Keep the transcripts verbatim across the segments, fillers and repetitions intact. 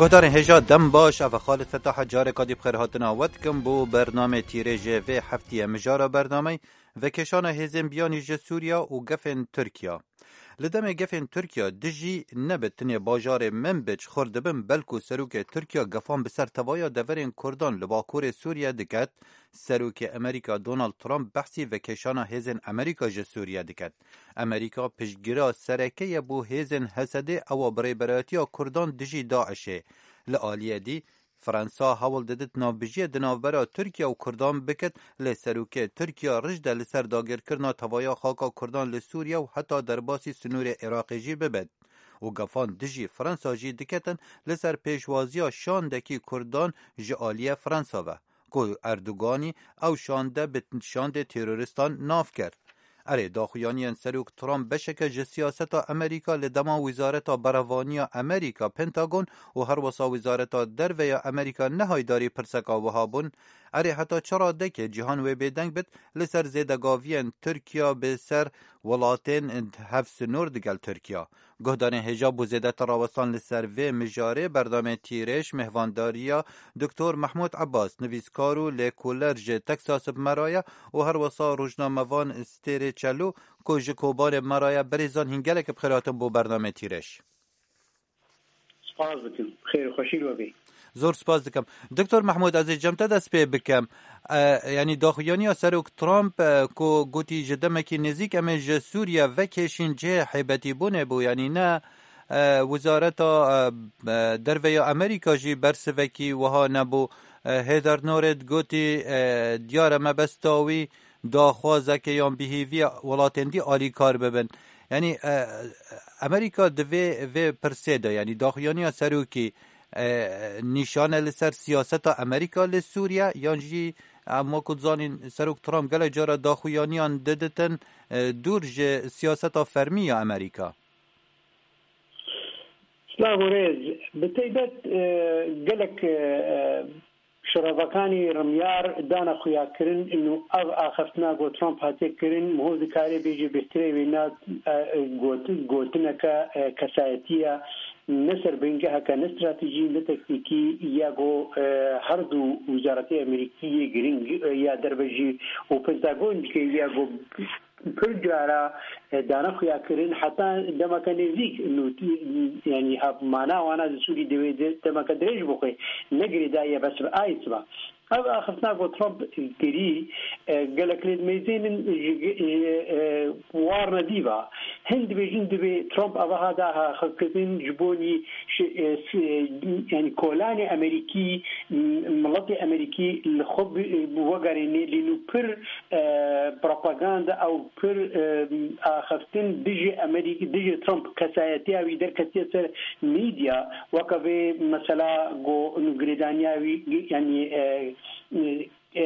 Guhdarên hêja dem baş, ev e Xalid Fetah e, careka dî bi xêr hatina we dikim bo bernamê tîrê ji vê heftiyê. Mijara bernameyê: vekêşana hêzên biyanî ji Sûriya û gefên Tirkiya. Li demê gefên Tirkiya dijî ne bi tinê bajarê Minbic xurt dibin, belkû serokê Tirkiya gefan bi ser tevaya deverên Kurdan li bakurê Sûriye diket, serokê Amerîka Donald Trump behsî vekêşana hêzên Amerîka ji Sûriye diket. Amerîka piştgira sereke ye bo hêzên H S D, ewa bi rêberayetiya Kurdan dijî DAIŞ'ê. Li aliyê dî, Fransa hewl didit navbijiyê di navbera Tirkiye û Kurdan bikit, lê serokê Tirkiya rij de li ser dagirkirina tevaya xaka Kurdan li Sûriye û heta derbasî sinûrê Iraqê jî bibit. Û gefan dijî Fransa jî diketin li ser pêşwaziya şandekî Kurdan ji aliyê Fransa ve, ku Erdoganî ew şande bi şandê terorîstan nav kir. Erê, daxuyaniyên Serok Trump beşeke ji siyaseta Amerîka li dema Wizareta Berevaniya Amerîka, Pentagon, û herwesa Wizareta Derve ya Amerîka nehaydarî pirseka wiha bûn: Erê, heta çi radekê cîhan wê bêdeng bit li ser zêdegaviyên Tirkiya bi ser welatên hevsinor digel Tirkiya? Guhdarên hêja, bo zêdetir rawestan li ser vê mijarê berdamê Tîrêj mêhvandariya Doktor Mehmûd Ebbas, nivîskar û lêkoler ji Texas bi me re ye, û herwesa rojnamevan Stêrê Çelû, ku ji Kobanê bi me re ye. Berêzan, hîn gelek bi xêr hatin bo bernamê Tîrêj. Spas dikim. Xêr û xweşî li we bê. Zor spas dikim. Doktor Mehmûd, ez ê cem te dest pê bikim. E, yanî daxuyaniya Serok Trump, e, ku gotî ji demekî nêzîk em ê ji Sûriye vekêşîn, cihê hêbetîbûnê bû. Yanî ne, e, Wizareta, e, e, Derve ya Amerîka jî bersivekî wiha nebû. E, Heather Nauert gotî, e, diyar e mebesta wî daxwazeke yan bihêviya welatên dî alîkar bibin. Yanî, e, Amerîka di vê, vê pirsê de, yanî daxuyaniya serokî, e, nîşan e li ser siyaseta Amerîka li Sûriye, yan jî em wekû dizanîn Serok Trump gelek cara daxuyaniyan diditin, e, dûr ji siyaseta fermî ya Amerîka? Silav û rêz. Bi taybet, e, gelek, e, şirovakanî rimyar dane xuyakirin û ev axiftina ku Trump hatiye kirin, miho dikarê bêje bêhtirê wê na, e, got-, gotineke, e, kesayetî ye, ne serbingeheke, ne stratejî, ne tektîkî, ya ku, e, her du wizaretê Amerîkî yê girîng, e, ya derve jî û Pentagon dike, ya ku pir cara, e, dane xuya kirin, heta demeke nêzîk nû-, yanî hevmana wana di Sûrî divê de-, demeke dirêj bixwe, ne girêdayî ye bes bi ayê siba. Ev axiftina ku Trump kirî, e, gelek lê dimeyzênin ji, ji, e, war nedî va. Hin dibêjin divê Trump evaha da axifkirin ji bo nî şi-, e, si-, yanî kolanê Amerîkî, m-, miletê Amerîkî li xwe bi-, bi wegerênê lê nû pir, e, propaganda ew pir, e, axiftin dijî Amerîk-, dijî Trump kesayetiya wî derketiye ser medya, weke vê mesela ku nû girêdaniya wî, yanî, e, e,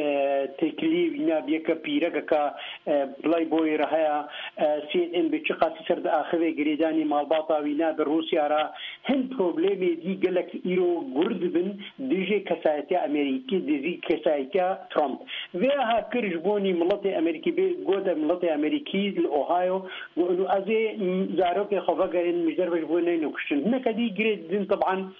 têkiliyê wî ne bi yeke pîrekeka, e, Playboyê re heye, e, C N N bi çi qasî ser diaxive girêdanî malbata wî ne bi Rûsya re. Hin problemê dî gelek îro gur dibin dijî kesayetiya Amerîkî, dijî kesayetiya Trump. Vê aha kir ji bo nî miletê Amerîkî bê, gote miletê Amerîkî li Ohio, got, ez ê, m, zarokê xwe vegerînim ji derve ji bo neyne kuştin. Hineke dî girê didin, teban,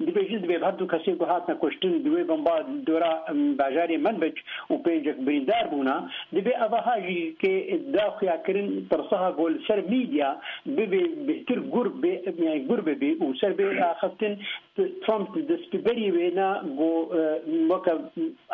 dibêjin divê bi her du kesê ku hatine kuştin, di wê bomba dora, em, bajarê Manbij û pêncek birîndar bûna, divê evaha jî kê da xuyakirin tirsaha ku li ser medya bibê bêhtir gur bê, yanî gur bibê û ser bê axiftin, Trump di destberî wê na ku, e, weke,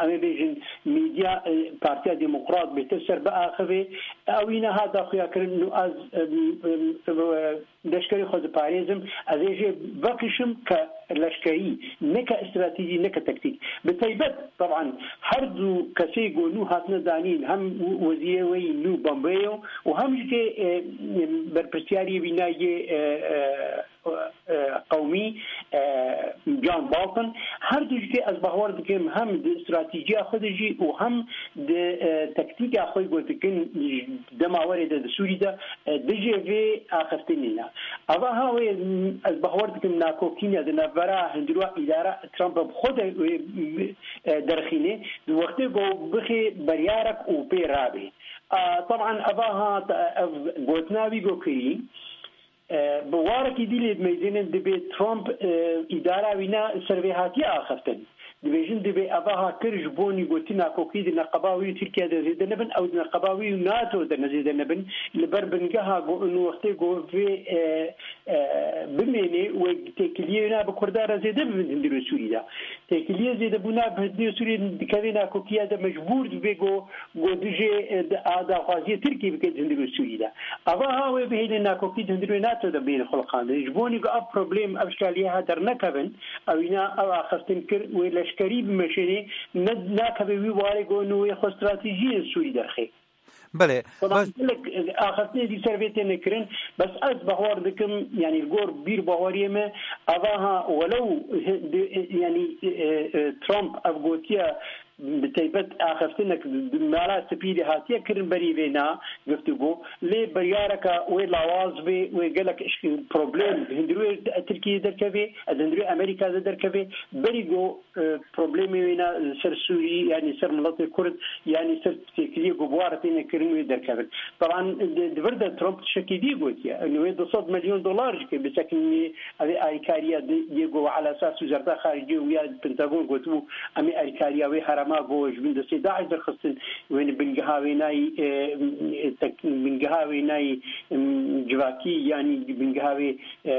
em ê bêjin, medya, e, Partiya Demokrat bêhtir ser biaxivê. Ew î niha da xuyakirin û ez, em, em, em, leşkerê xwe diparêzim, ez ê jê vekişim ke leşkerî, neke stratejî, neke tektîk. Bi taybet, teban, her du kesê ku nû hatine danîn, hem wezîrê wê yî nû Pompeo û hem jî ke, e, berpirsiyarê wî nayê, e, e, e, qewmî, e, John Bolton, her du jî ke ez bawer dikim, hem di stratejîya xwe de jî û hem di, e, tektîka xwe ku dikin, dema werê de di Sûrî de, e, dijî vê axiftinê ne. Eva ha wê, m, ez bawer dikim nakokîne di navbera hundirwa îdara Trump bi xwe de wê, m, e, derxîne, di wextê ku bixê beryarek û pê rabê. A, teban eva ha, ev gotina wî ku kirî, E, bi warekî dî lê dimeyzênin, dibê Trump, e, îdara wî ne ser vê hatiye axiftin. Dibêjin dibê eva ha kir ji bo nîgotî nakokî di neqeba wî û Tirkiye de zêde nebin, ew di neqeba wî û nato de ne zêde nebin, li ber bingeha go û wextê go vê, e, e, bimênê wê têkiliyê wî ne bi Kurda re zêde bibin hundirê Sûrî de. Têkiliyê zêdebûna bi hundirê Sûrî dikeve nakokiya de mecbûr dibe go, go dijê, e, di a daxwaziyê Tirkiyê bike di hundirê Sûrî de. Ava ha wê bihêlin nakokî di hundirê nato de bihêlin xulqandin. Ji bo nî go ev problem, ev şaliyê ha dernekevin, ewîna ev axiftin kir wê leşkerî bimeşênê, ne, nakeve wî warê go nû wê xwe stratejiyên Sûrî derxê. Belê, Bana bes gelek, e, axiftinê dî ser vê têne kirin, bes ez bahwar dikim, yanî li gor bîr bahwariyê me, ava ha welew, e, di-, e, yanî, e, e, Trump ev gotiye, bi teybet axiftinek di Mala Spî de hatiye kirin berî vê na giftûgo, lê biryareka wê lawaz bê, wê gelek işk-, problem hundirê Tirkiyê derkevê, ez hundirê Amerîka de derkevê, berî go e, problemê wê ne li ser Sûrî, yanî ser miletê Kurd, yanî ser têkiliyê ku bi wa re têne kirin wê derkevin. Taban di, di vir de Trump tiştekî dî gotiye. Wê du sed milyon dolar jî ke bisekinî, ev ê alîkariya di, yê ku ala esas wezareta xariciyê û ya Pentagon gotibû, em ê alîkariya wê herema ku ji bin destê DAIŞ derxistin, wê bingeha wê nayî, e, e, tek-, bingeha wê nayî, em, civakî, yanî bingeha wê e,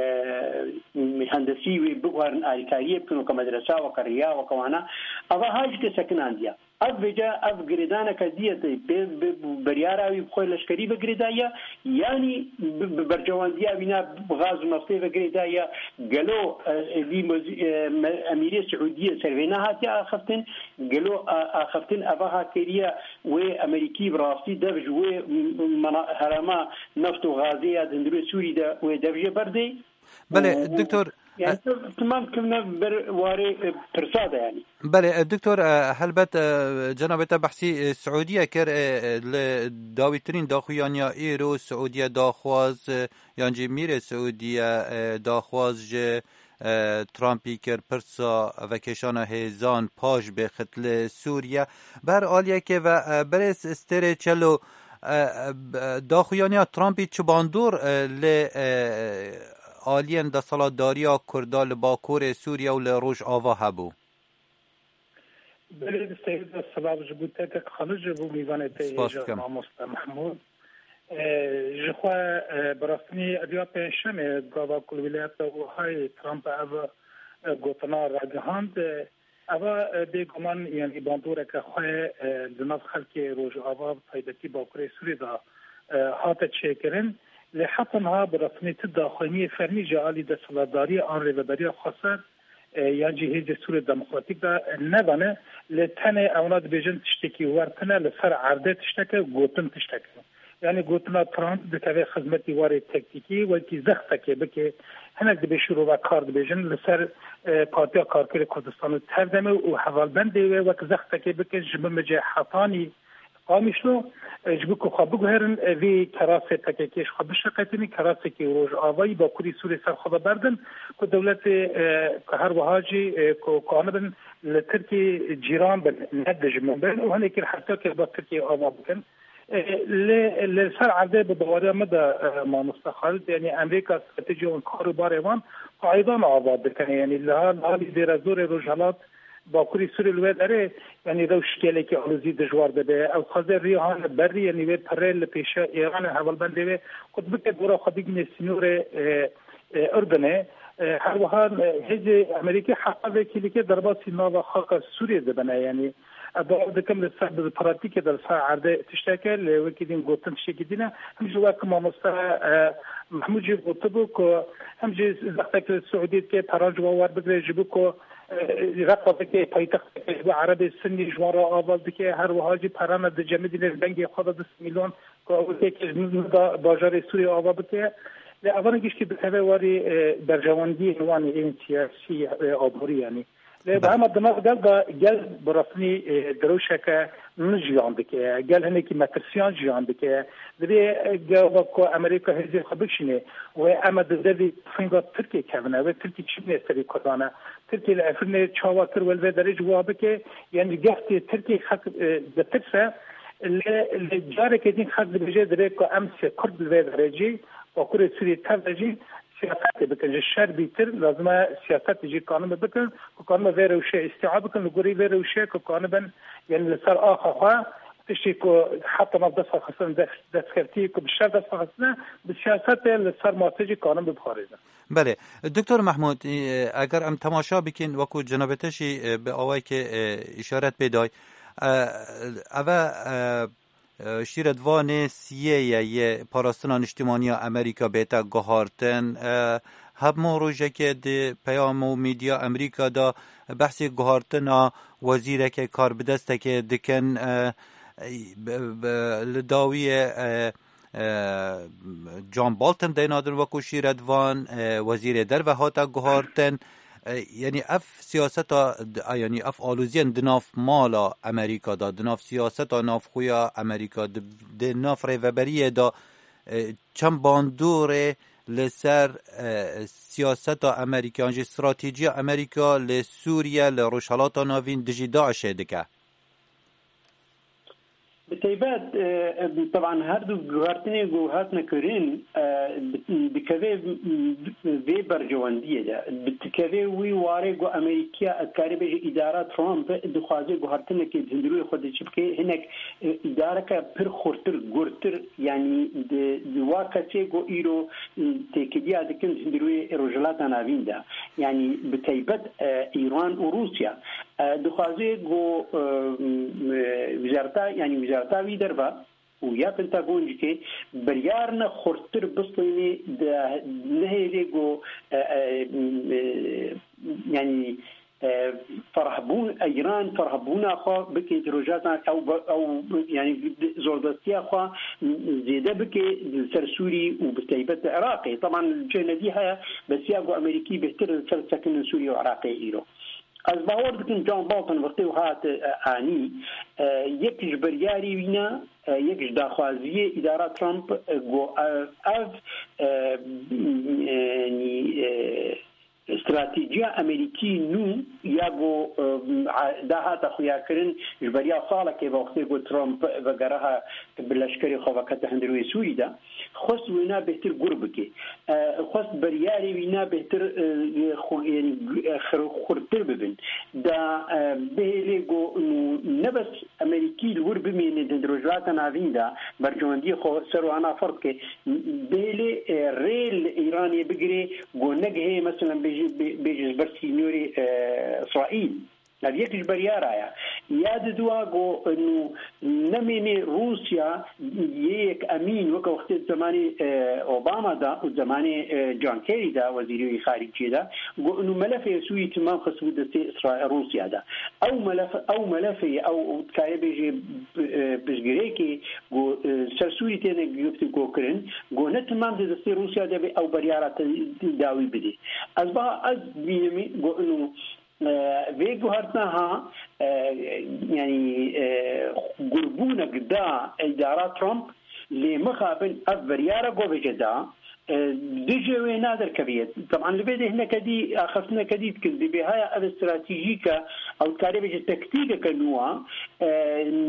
mühendisî wê biguherin alîkariyê bikin, weke medresa, weke riya, weke wana. Ava ha jî ke sekinandiye. Ev vêca, ev girêdaneke diye te pê bi, bi biryara wî bi xwe leşkerî ve girêdaye, yanî bi, bi bercewandiya wîna bi gaz û neftê ve girêdaye. Gelo, e, êdî mozî-, e, me-, emîrê Siûdiyê ser vê nehatiye axiftin? Gelo a-, axiftin eva ha kêriye wê Amerîkî bi rastî dev ji wê m-, mana-, herema neft û gazê ya di hundirê Sûrî de wê dev jê berdê? Belê, Û, û, doktor, yani, e, tamam kivne ber warê, e, pirsa de yani. Belê, e, doktor, e, helbet, e, cenabê te behsî, e, Siûdiye kir, e, e, li dawîtirîn daxuyaniya îro Siûdiye daxwaz, e, yan jî mîrê Siûdiye, e, daxwaz ji, e, Trumpî kir, pirsa vekêşana hêzan paş bê xit li Sûriye. Bi her aliyekê ve, e, birêz Stêrê Çelo, e, e, daxuyaniya Trumpî çi bandor, e, li, e, aliyên desthilatdariya Kurda li Bakurê Sûriye û li Rojava hebû? Belê, di serî de silav ji bo te kek Xalid, ji bo mîvanê te hêja, mamoste Mehmûd. E, ji xwe, e, bi rastî ev ya pêncşemê gava ku li wîlayeta Ohioyê Trump ev, e, gotina ragihand, e, eva, e, bêguman, yanî bandoreke xwe, e, di nav xelkê Rojava, bi taybetî Bakurê Sûrê de, e, hate çêkirin. Lê heta niha bi rastî ti daxuyaniyê fermî ji alî desthilatdariyê an rêveberiya xweser, e, yan jî Hêzê Sûrê Demokratîk de, e, nevane, lê tenê ewna dibêjin tiştekî wer tune, li ser erdê tiştek e, gotin tiştek e. Yanî gotina Trump dikeve xizmetî warê tektîkî, wekî zextekê bike, hinek dibê şîrove kar dibêjin, li ser, e, Partiya Karkerê Kurdistan û Tevdemê û hevalbendê wê wek zextekê bike, ji bin bicê hetanî Qamişlo, e, ji bo ku xwe biguherin, e, vê kerasê P K K ji xwe bişeqetînin, kerasekî Rojavayî Bakurî Sûrê ser xwe de berdin, ku dewletê, e, ku her wiha jî, e, ku, ku anibin li Tirkiyê cîran bin, ne dijmin bin û hinekî hevdokê bi Tirkiyê ava bikin. E, lê, li ser erdê bi baweriya min de, e, mamoste Xalid, yanî Amerîka stratejiya wan, kar û barê wan qaydan ava dikine. Yanî li hal, li halî dêrezorê Rojhelat Bakurî Sûrê li wê derê, yanî rewş gelekî alozî dijwar dibe. Ew xweze rî hane berrî, yanî wê pirê li pêşiya Îranê hevalbendê wê qut bike, dora xwe bigîne sînorê, e, e, Urdunê. E, her wiha, e, hêzê Amerîkî heta vekî dike derbasî nava xaka Sûriyê dibine. Yanî, e, bawer dikim li ser, bi pratîkê de li ser erdê tişteke, lê wekî din gotin tiştekî din e. Him jî wek mamoste, e, Mehmûd jî gotibû ku him jî zextek li Siûdî dike, peran ji wan werbigire ji bo ku, e, Reqa dike, paytexteke ji bo Erebê Sunnî ji wan re ava dike, her wiha jî perana dicemidîne li dengê xwe de du sed milyon ku ew têkil nida bajarê Sûriyê ava bike. Lê evan giştî dikeve warê, e, berjewendiyên wan ên siyasî, e, aborî yanî. Lê bi hema di nav gel de gel bi resmî, e, direwşeke nû jiyan dike. Gel hinekî metirsiyan jiyan dike. Divê, e, gava ku Amerîka hêzên xwe bikişîne, wê em e di devê tufinga Tirkiyê kevine, wê Tirkî çi bîne serê Kurdan e. Tirkiyê li Efrînê çawa kir, wê li vê derê jî wiha bike. Yanî geftê Tirkiyê xelk, e, ditirse, lê, lê carekê din xelk dibêje, divê ku em sê Kurd li vê derê jî Bakurê Sûriyê tev de jî siyasetê bikin. Ji şer bîtir lazim e siyasetê jî kanibin bikin, ku kanibin vê rewşê îstîa bikin, li gorî vê rewşê ku kanibin, yanî li ser axa xwe, tiştê ku heta nav dest xwe xistin, dest-, destkevtî ku bi şer dest xwe xistine, bi siyasetê li ser masê jî kanibin biparêzin. Belê. Doktor Mehmûd, e, eger em temaşa bikin, wekû cenabê te jî, e, bi awayekê, e, îşaret pê day, e, ev e, e, şîretvanê siyê ye yê Parastina Niştimaniya Amerîka bête guhartin. E, hemû rojekê di peyam û medya Amerîka de behsê guhartina wezîrekê karbidestekê dikin. E, bi, bi, li dawiyê, e, e, John Bolton deyna din wekû şîretvan, e, wezîrê derve hate guhartin. E, yanî ev siyaseta, d-, a, yanî ev aloziyên di nav mala Amerîka de, di nav siyaseta navxwe ya Amerîka, di, di nav rêveberiyê de, e, çend bandorê li ser, e, siyaseta Amerîka, yan jî stratejiya Amerîka li Sûriye, li Rojhelata Navîn dijî DAIŞê dike? Bi taybet, e, e, teban her du guhertinê ku hatine kirin, e, bi-, dikeve, m-, vê berjewendiyê de. Bi-, dikeve wî warê ku Amerîkiya, ez karê bêje îdara Trump dixwaze guhertinekê di hundirûyê xwe de çi bike, hinek, e, îdareke pir xurtir, gurtir, yanî di, di wa kesê ku îro, e, têkiliya dikin di hundirûyê Rojhilata Navîn de. Yanî bi taybet, e, Îran û Rûsya. E, dixwaze ku, e, m-, e, wizareta, yanî wizareta wî derve û ya Pentagon jî ke biryarine xurttir bistînê de nehêlê ku, e, e, m-, e, yanî, e, ferhbûn, Îran ferhbûna xwe bike di rojatan ew be-, ew, yanî zordestiya xwe zêde bike li ser Sûrî û bi taybet li Iraqê. Teban cênedî heye, besiya ku Amerîkî bêhtir li ser sekinin Sûrî û Iraqê îro. Ez bawer dikim John Bolton wextê û hat, e, anî, e, yek ji biryarê wî ne, e, yek ji daxwaziyê îdara Trump, e, got, e, ev, e, e, yanî, e, stratejiya Amerîkî nû ya got, e, a, dahate xuyakirin ji beriya salekê ve wextê got Trump vegeriha bi leşkerê xwe vekete hundirê Sûrî de. Xwest wêna bêhtir gur bike. E, xwest biryarê wî na bêhtir, e, xu-, yanî, e, xir-, xurtir bibin. Da, e, bihêlê got, nû ne bes Amerîkî li wir bimêne di Rojhilata Navîn de, berjewendiyê xwe ser wana ferz ke, bihêlê, e, rê li Îranê bigire, got negihê, meselen, bêje, bê-, bêje ji ber sînorê, e, Îsraîl. Ev yek ji beryara ye. Ya di dua ku, nû, nemênê Rûsya yê yek emîn, weke wextê di zemanê, e, Obama de û zemanê, e, John Kerry de, wezîrê xariciyê de, ku nû melefê Sûrî timam xistibû destê Îsra-, Rûsya de. Ew melef, ew melefê, ew, ew dikare bêje, e, piştgirêkê ku, e, ser Sûrî têne guftûgo kirin, ku ne timam di destê Rûsya de be ew beryara te dawî bidê. Ez ba, ez bînimî ku nû, e, vê guhertina ha, e, yanî, e, gurbûnek da îdara Trump, lê mixabin ev biryara ku bêje da, e, dijê wê naderkeviye. Teban li vê de hineke dî, axiftineke dî dikin. Dibê haya ev stratejîke, ew dikarê bêje taktîkeke nû a, e,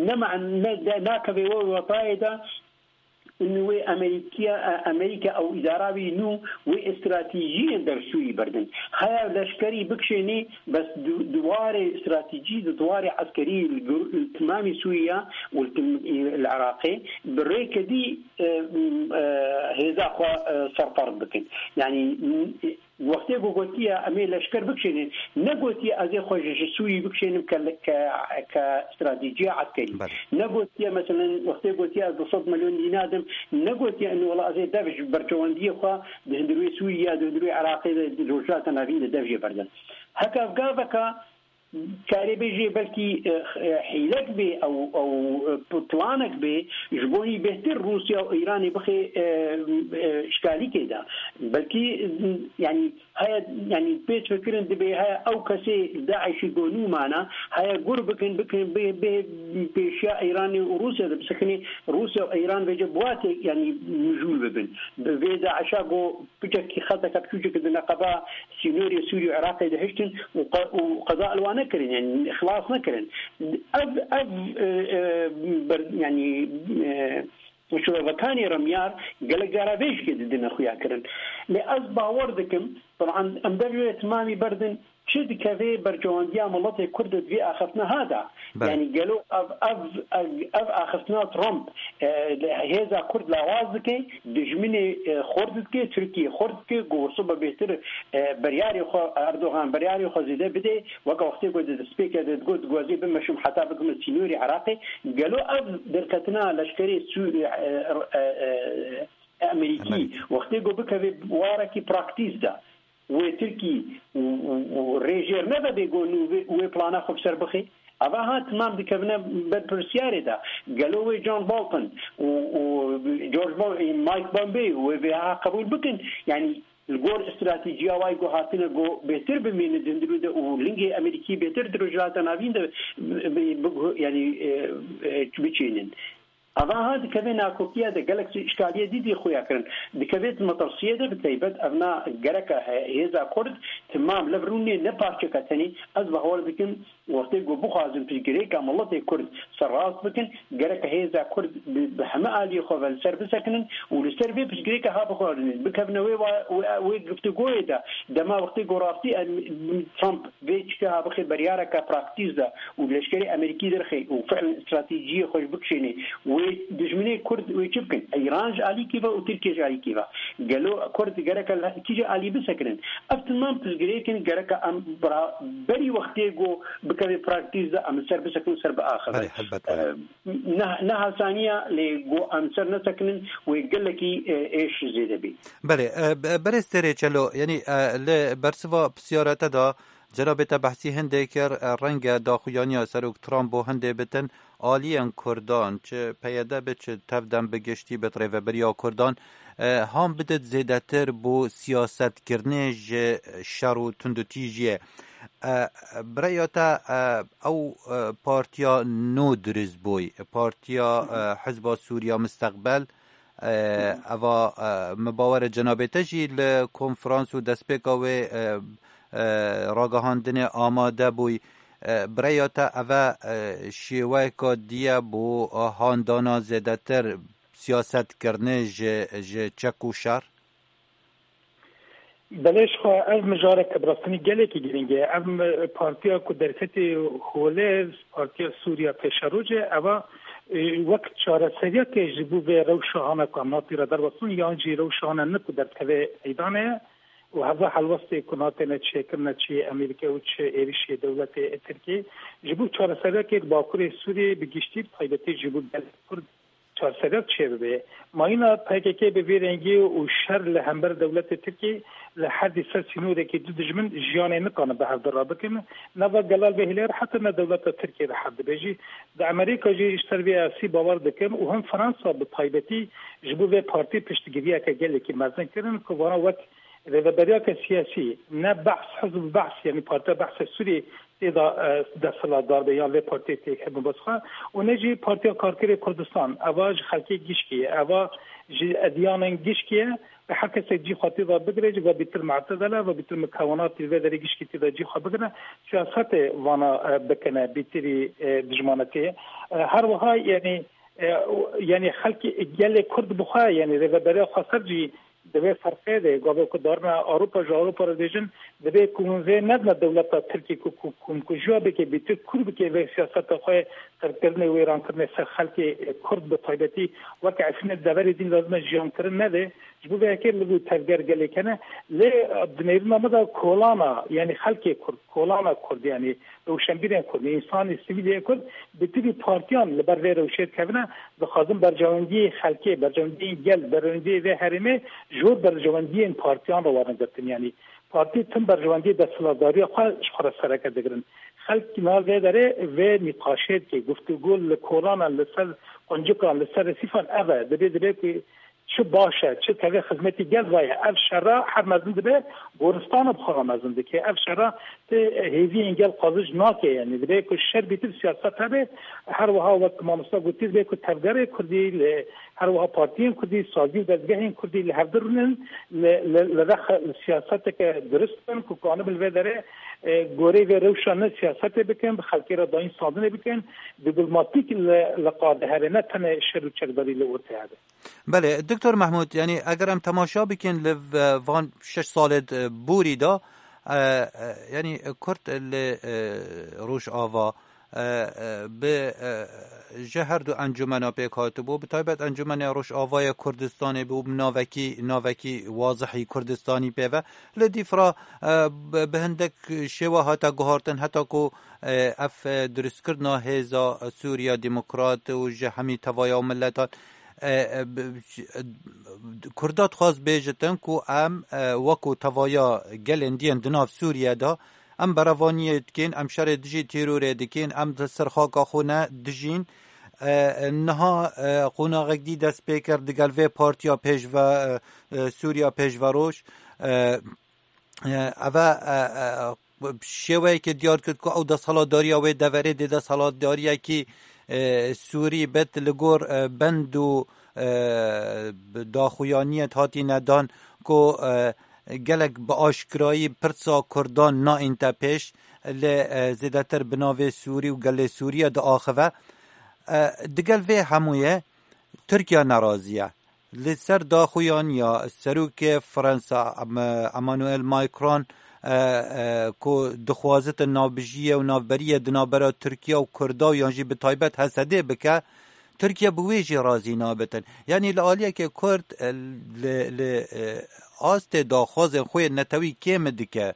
ne man-, ne, de, nakeve wê wetayê de, Û wê Amerîkiya, Amerîka ew îdara wî nû wê stratejiyên dersûyî berdin. Haya leşkerî bikişênê, bes di, di warê stratejî, di warê eskerî li gur-, li timamî Sûriya û li tim-, li Iraqê bi rêke dî, e, e, hêza xwe, e, serferd bikin. Yanî, Wextê ku gotiye, em ê leşker bikişênin, ne gotiye, ez ê xwe ji, ji Sûrî bikişênim ke, ke, ke stratejiya eskerî. Belê. Ne gotiye, meselen, wextê gotiye, ez du sed milyon dînar dim, ne gotiye, eno, wela ez ê dev ji berçewendiyê xwe di hundirê Sûrî ya di hundirê Iraqê de, di Rojhilata Navîn de dev jê berdim. Heke ev gaveka, karê bêjê belkî, e, e, hîlek bê, ew, ew, e, p-, planek bê, ji bo hî bêhtir Rûsya û Îranê bixê, e, e, şkalîkê de. Belkî, e, yanî, heye, yanî, pêç fikirin dibê heye ew kesê DAIŞî ku nû mane, heye gur bikin, bikin, bê, bê, pêşiya Îranê û Rûsya de bisekinê, Rûsya û Îran vêce bi watê, yanî, mijûl bibin. Bi vê DAIŞa ku piçekî xeteke piçûçek di neqeba sînorê Sûrî û Iraqê de hiştin û qe-, û qeda li wan nekirin, yanî xilas nekirin. Ev, ev, e, e, ber-, yanî, e, û şivevekanê remyar gelek cara vê jikê didine xuya kirin. Lê ez bawer dikim, teban em devê wê timamî berdin, çi dikeve berjewendiya miletê Kurd di vê axiftina ha de. Belê. Yanî gelo ev, ev, ev, ev axiftina Trump, e, hêza Kurd lawaz dike, dijminê, e, xurt dike, Tirkiye xurt dike, ku wisa bêhtir, e, biryarê xwe, Erdogan biryarê xwe zêde bide, weke wextê ku di destpêkê de digot, dixwazî bimeşim heta bikim sînorê Iraqê. Gelo ev derketina leşkerê Sû-, e, e, e, Amerîkî, Amerîkî. Wextê ku bikeve warekî praktîs de, wê Tirkî û, û, û rê jêr nede bê ku nû wê, wê plana xwe bi ser bixê. Eva ha timam dikevine berpirsiyarê de. Gelo wê John Bolton û, û George Bo-, Mike Pompeo wê vê ha qebûl bikin? Yanî li gor stratejiya wayî ku hatine ku bêhtir bimînin di hundirû de û lingê Amerîkî bêhtir di Rojhilata Navîn de bi, bi, bi, yanî, e, e, biçînin. Ava ha dikeve nakokiya de gelek îşkaliye dî dî xuya kirin. Dikeve metirsiyê de bi taybet evna gereke he-, hêza Kurd timam lev rûnê ne parçeke tenê. Ez bawer dikim wextê ku bixwazin piştgirêka miletê Kurd serrast bikin, gereke hêza Kurd bi, bi heme aliyê xwe ve li ser bisekinin û li ser vê piştgirêka ha bixwarin bikevine wê wa-, wê, wê giftigoyê de. Dema wextê ku rastî em, Trump vê çike ha bixê beryareke praktîs de û leşkerê Amerîkî derxê û fi'len stratejiyê xwe ji bikişênê, wê dijminê Kurd wê çi bikin? Îran ji alîkî ve û Tirkiye ji alîkî ve. Gelo Kurd gereke li kîje alî bisekinin? Ev timam piştgirêk in, gereke em bira-, berî wextê ku bikeve praktîs de em li ser bisekinin, ser biaxivin. Belê, helbet, belê. Em, ne, ne hasaniya lê ku em ser nesekinin wê gelekî, e, êş zêde bî. Belê, e, be-, berêz Têrê Çelo, yanî, e, li bersiva pisyara te de cenabê te behsî hindê kir, e, renge daxuyaniya Serok Trump bo hindê bitin, aliyên Kurdan, çi P Y D be, çi tevdem bi giştî bit rêveberiya Kurdan, e, han bidit zêdetir bo siyasetkirinê ji şer û tundutîjiyê. E, bi rêya te, e, ew, e, partiya nû dirust bûy, partiya, e, Hizba Sûriya Misteqbel, e, eva, e, min bawer e cenabê te jî li konferans û destpêka wê, e, e, ragihandinê amade bûy. E, bi rêya te eve, e, şêweyeka dî ye bo, e, handana zêdetir siyasetkirinê ji, ji çek û şer? Belê, ji xwe ev mijareke bi rastî gelekî girîng e. Ev mi-, partiya ku derketî holê, Partiya Sûriya Pêşerojê, eva, e, wek çareseriyeke ji bo vê rewşa hane ku em hatî re derbasbûn, yan jî rewşa hane ne ku derdikeve meydanê ye û heva helwestê ku natêne çêkirine çi Amerîka û çi êrişê dewletê Tirkî, ji bo çareseriyekê di Bakurê Sûriyê bi giştî, bi taybetî ji bo gelê Kurd çareseriyek çêbibe. Mayîna P K K bi vê rengî û şer li hember dewletê Tirkî li herdî ser sînorekî du dijmin jiyanê nikane bi hev de rabikin. Nava gela li vê hêlê re heta ne dewleta Tirkî rehet dibe jî. Di Amerîka jî ji ser vê asî bawer dikin û him Fransa bi taybetî ji bo vê partî piştgiriyeke gelekî mezin kirin ku vana wek rêveberiyeke siyasî, ne behs, hizb behs, yanî Partiya Behsê Sûriyê tê de, e, desthilatdar be yan vê partiyê tê hebin bes xwe û ne jî Partiya Karkerê Kurdistan, eva ji xelkê gişkî ye, eva ji ediyanên gişkî ye. Bi her kesek cî xwe tê de bigire, ji ve bîtir mu'tedele ve bîtir mikewenatî vê derê gişkî tê de cî xwe bigire, siyasetê vana, e, bikine, bîtirî, e, dijmanetiyê. E, her wiha, yanî, e, yanî xelkê gelê Kurd bi xwe, yanî rêveberiya xweser jî di vê ferqê de, gavê ku darine Ewropa, ji Ewropa re dibêjin, divê ku hûn vê nedine dewleta Tirkî ku, ku komkujiya bike, bîtir kûr bike vê siyaseta xwe, qirkirinê, wêrankirinê ser xelkê Kurd bi taybetî weke Efrînê deverê din lazim e jiyankirin nebe. Ji bo vê yekê li bo tevger gelek hene. Lê di nêrîna me de kolana, yanî xelkê Kurd, kolana Kurd, yanî rewşenbîrên Kurd, însanê sivîl yê Kurd, bi tivî partiyan li ber vê rewşê dikevine, dixwazin berjewendiyê xelkê, berjewendiyên gel, berjewendiyê vê herêmê ji hor berjewendiyên partiyan re werin girtin. Yanî partî tim berjewendiyê desthilatdariya xwe ji xwe re sereke digirin. Xelk nav vê derê vê nîqaşê dike, guftûgo li kolanan, li ser quncikan, li ser resîfan ev e. Dibê, dibê ku Çi baş e, çi tevê xizmetî gel ve ye. Ev şera her mezin dibe, goristana bi xwe re mezin dike. Ev şera ti hêviyên gel qazic nake, yanî dibe ku şer bîtir siyaset hebe. Her wiha wek mamosta gotî, dibe ku tevgerê Kurdî li, her wiha partiyên Kurdî, sazî û dezgehên Kurdî li hevdu rûnin, li, li, li rex, li siyaseteke durist bin ku kanibin li vê derê, e, goreyê vê rewşa ne siyasetê bikin, bi xelkê re dayîn standinê bikin, dîplomatîk li, li qade hebe, ne tenê şer û çekdarî li ortê hebe. Belê, Doktor Mehmûd, yanî eger em temaşa bikin li v-, van şeş salê d-, borî de, e, e, yanî Kurd li, e, Rojava, e, e, bi, e, ji her du encûmena pêk hatibû, bi taybet Encûmenê Rojavayê Kurdistanê bû, bi navekî, navekî wazihî Kurdistanî pê ve. Li dîf re, e, bi, bi hindek şêwe hate guhartin, heta ku, e, ev, e, dirustkirina hêza Sûriya Demokrat û ji hemî tevaya û miletan, e, e, bi, Kurda dixwaz bêjitin ku em, e, wekû tevaya gelên diyên di nav Sûriye de, em berevaniyê dikin, em şerê dijî terorê dikin, em di ser xaka xwe ne dijîn. E, niha, e, qonaxek dî dest pê kir digel vê partiya pêşve, e, e, Sûriya Pêşveroj. E, e, eve, e, e, bi şêweyekê diyar kir ku ew desthilatdariya wê deverê dê desthilatdariyekî, e, Sûrî bet li gor, e, bend û, e, daxuyaniyê hatîne dan ku, e, gelek bi aşkirayî pirsa Kurdan naînte pêş, lê, e, zêdetir bi navê Sûrî û gelê Sûriye diaxive. E, digel vê hemûyê Tirkiye nerazî ye. Li ser daxuyaniya serokê Fransa, Em-, Emmanuel Macron, e, e, ku dixwazitin navbijiyê û navberiyê di navbera Tirkiye û Kurda û yan jî bi taybet Hesedê bike, Tirkiye bi wê jî razî nabitin. Yanî li aliyekê Kurd, e, li, li, e, astê daxwazên xwe yên netewî kêm dike.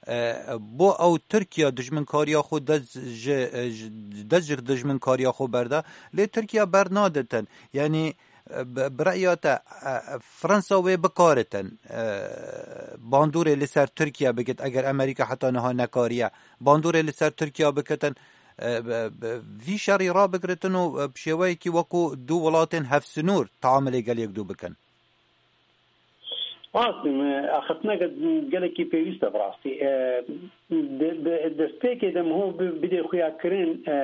E, bo ew Tirkiye dijminkariya xwe dest ji, e, ji, dest ji dijminkariya xwe berda. Lê Tirkiye bernadetin. Yanî, e, bi, bi reya te, e, Fransa wê bikaritin, e, bandorê li ser Tirkiye bikit, eger Amerîka heta niha nekariye bandorê li ser Tirkiye bikitin, e, bi, bi vî şerî rabigiritin û, e, bi şêweyekî wekû du welatên hevsinûr teamilê gel yekdû bikin. Rast e, axiftineke gelekî pêwîst e bi rastî. E, di, di destpêkê de miho bi, bidê xuya kirin, e,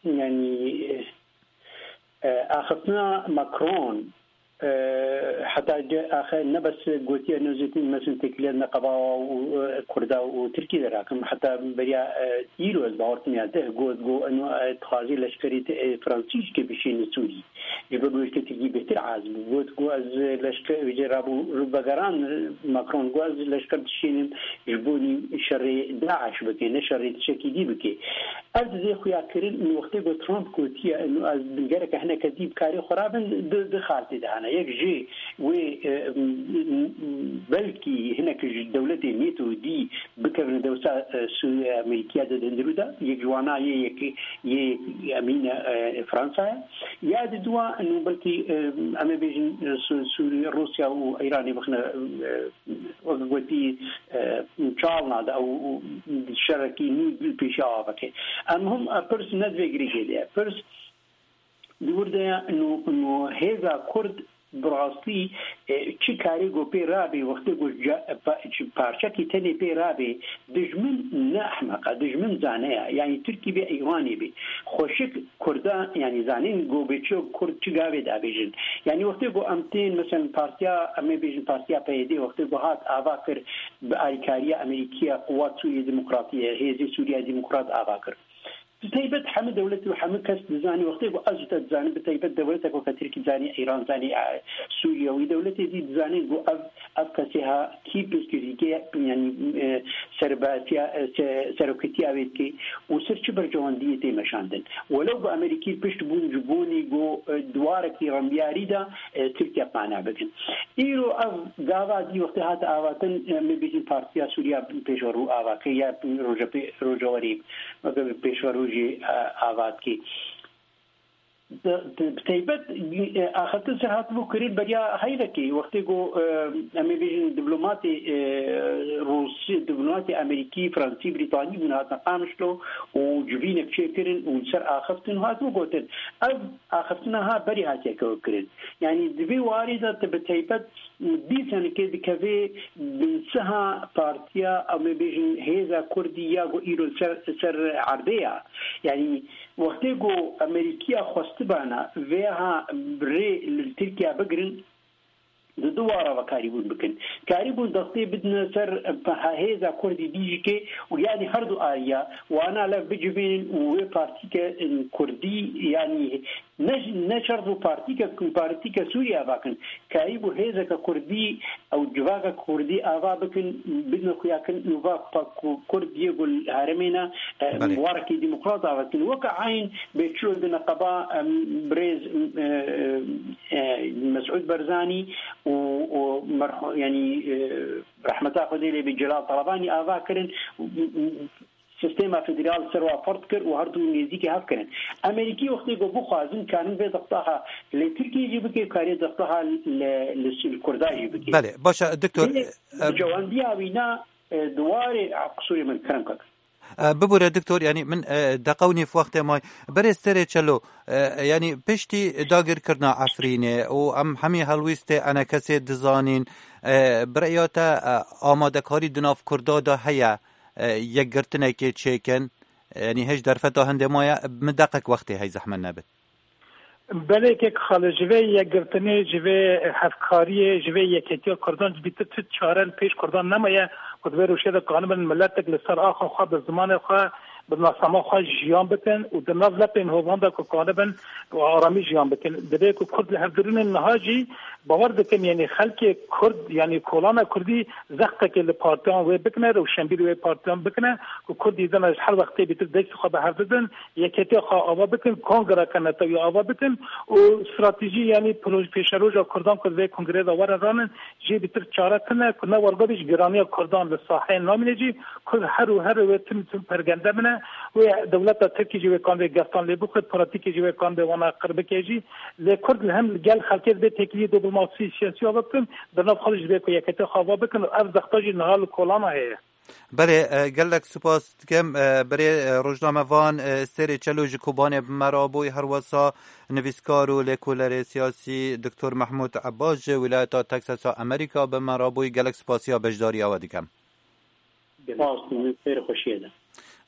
yanî, e, axiftina Macron, e, heta ge-, axe ne bes gotiye nêzîtî mesin têkiliyet neqeba û, e, Kurda û Tirkî de rakim. Heta beriya, e, îro ez bawer tim ya deh got, got, eno, e, dixwazî leşkerî te-, e, Fransî jî ke bişîne Sûrî. Ji ber wê Tirkî bêhtir ez bû. Got ku ez leşker, wê rabû vegeran Macron, got ez leşker dişînim ji bo nî şerê DAIŞ bike, ne şerê tiştekî dî bike. Ev dizê xuya kirin, min wextê ku Trump gotiye, eno ez gereke hineke dî bi karê xwe rabin, di, di xaltê de hene. Yek jê wê, e, m-, m-, belkî hinek ji dewletê NATO dî bikevin dewsa, e, Sûriye Amerîkiya de di hundirû de. Yek ji wana yê yek, yê yek emîn e, e, Fransa ye. Ya di dua, eno belkî, e, em ê bêjin, e, Sû-, Sûriye, Rûsya û Îranê bixine, e, wek gotî, e, çalna de û, û şerekî nû pêşiya avakê. Em him, e, pirs ne di vê girêkê de ye. Pirs di wir de ye, nû, nû hêza Kurd bi rastî, e, çi karê ku pê rabê, wextê ku ca-, pa-, çi parçekî tenê pê rabê, dijmin ne ehmeq e, dijmin zane ye. Yanî Tirkî bê, Îranê bê. Xweşik Kurda, yanî zanîn ku bê çi Kurd çi gavê dabêjin. Yanî wextê ku em tên, meselen, partiya, em ê bêjin partiya P Y D, wextê ku hat ava kir, bi alîkariya Amerîkiya, Quwat Sûriye Demokratî ye, Hêzê Sûriye Demokrat ava kir. Bi taybet hemû dewlet û hemû kes dizane, wextê ku ez û te dizanin, bi taybet dewleteke weke Tirkî dizane, Îran dizane, e, Sûriye, wî dewletê dî dizane ku ev, ev kesê ha kî piştgirîkê, yanî, e, serbatiya, e, se-, seroketiya wê dike û ser çi berjewendiyê tê meşandin. Welew ku Amerîkî pişt bûn ji bonî ku, e, di warekî rembiyarî de, e, Tirkiye qane bikin. Îro ev gava dî wextê hate avatin, e, me bêjin Partiya Sûriya Pêşverû ava kir ya Roja Pê-, Rojawerî weke pêşverû jî, e, ava dikê. Bi taybet, e, axiftin ser hatibû kirin beriya heyvekê. Wextê ku, e, em ê bêjin diplomatê, e, Rûsî, diplomatê Amerîkî, Fransî, Brîtanî bûn, hatin Qamişlo û civînek çêkirin û li ser axiftin hatibû gotin. Ev axiftina ha berî hatiye kirin. Yanî di vê warê de tu bi taybet dîsanekê dikeve binsiha partiya, em ê bêjin hêza Kurdî ya ku îro ser, ser erdê ya. Yanî wextê ku Amerîkiya xwestibana vêha rê li Tirkiye bigirin, di du wara ve karîbûn bikin. Karîbûn destê bidine ser hêza Kurdî dî jî kê û yanî her du aliya wana lev bicivînin û wê partîke Kurdî yanî ne, ne şert bû partîke, partîke Sûriye ava kin. Karîbû hêzeke Kurdî ew civaka Kurdî ava bikin, bidine xuyakirin û va pa ku Kurd yê ku li herêmê ne, e, Belê. Warekî demokrat ava bikin. Weke eyn bê çilo di neqeba, em, birêz, e, e, Mesûd Barzanî û, û merhu-, yanî, e, rehmeta Xwedê lê bê Celal Talabanî ava kirin. Sistema federal ser wa ferd kir û her du nêzîkî hev kirin. Amerîkî wextê ku bixwazin karin vê dextaha li Tirkiyê jî bike, karê dextaha li, li, li Kurda jî bike. Belê, baş e, doktor, Lê e, bi cewandiya wî na, e, di warê, a, qisûrê min kerem kak. E, bibûre doktor, yanî min, e, deqew nîv wextê may. Berê Sterê Çelo, e, yanî piştî dagirkirina Efrînê û em hemî helwîstê enekesê dizanin, e, bi rêya te, e, amadekarî di nav Kurda de heye, e, yekgirtinekê çêkin? Yanî hêj derfeta hindê maye, min deqek wextê hey zehmet nebit. Belê kek Xalid, ji vê yekgirtinê, ji vê hevkariyê, ji vê yeketiya Kurdan ji bîtir çi çare li pêş Kurdan nemaye ku di vê rewşê de kanibin miletek li ser axa xwe, bi zimanê xwe, bi nasnama xwe jiyan bikin û di nav lepên hovan de ku kanibin û aramî jiyan bikin. Divê ku Kurd li hevdirûnên niha jî bawer dikim, yanî xelkê Kurd, yanî kolana Kurdî zextekê li partiyan wê bikine, rewşenbîrî wê partiyan bikine, ku Kurdî dina ji her wextê bîtir destê xwe bi hev bidin, yeketiya xwe ava bikin, kongreke netewî ava bikin û stratejî, yanî pêşeroja Kurdan ku di vê kongreyê de werin ranin, jê bîtir çare tune, ku ne wergavî ji giraniya Kurdan li saheyê namîne jî, Kurd her û her wê tim tim pergende bine, wê dewleta Tirkî jî wê kan vê geftan lê bixwit, pratîkê jî wê kan vê wana qir bike jî. Lê Kurd li hem gel xelkê divê têkiliyê diplomasî siyasî ava bikin, di nav xwe de jî divê ku yeketiya xwe ava bikin û ev zexta jî niha li kolana heye. Belê, e, gelek spas dikim, e, berê, e, rojnamevan, e, Stêrê Çelo ji Kobanê bi me re bûy, herwesa nivîskar û lêkolerê siyasî Doktor Mehmûd Ebbas ji wîlayeta Texasa Amerîka bi me re bûy. Gelek spasiya beşdariya we dikim. Spas, min xêr xweşiyê de.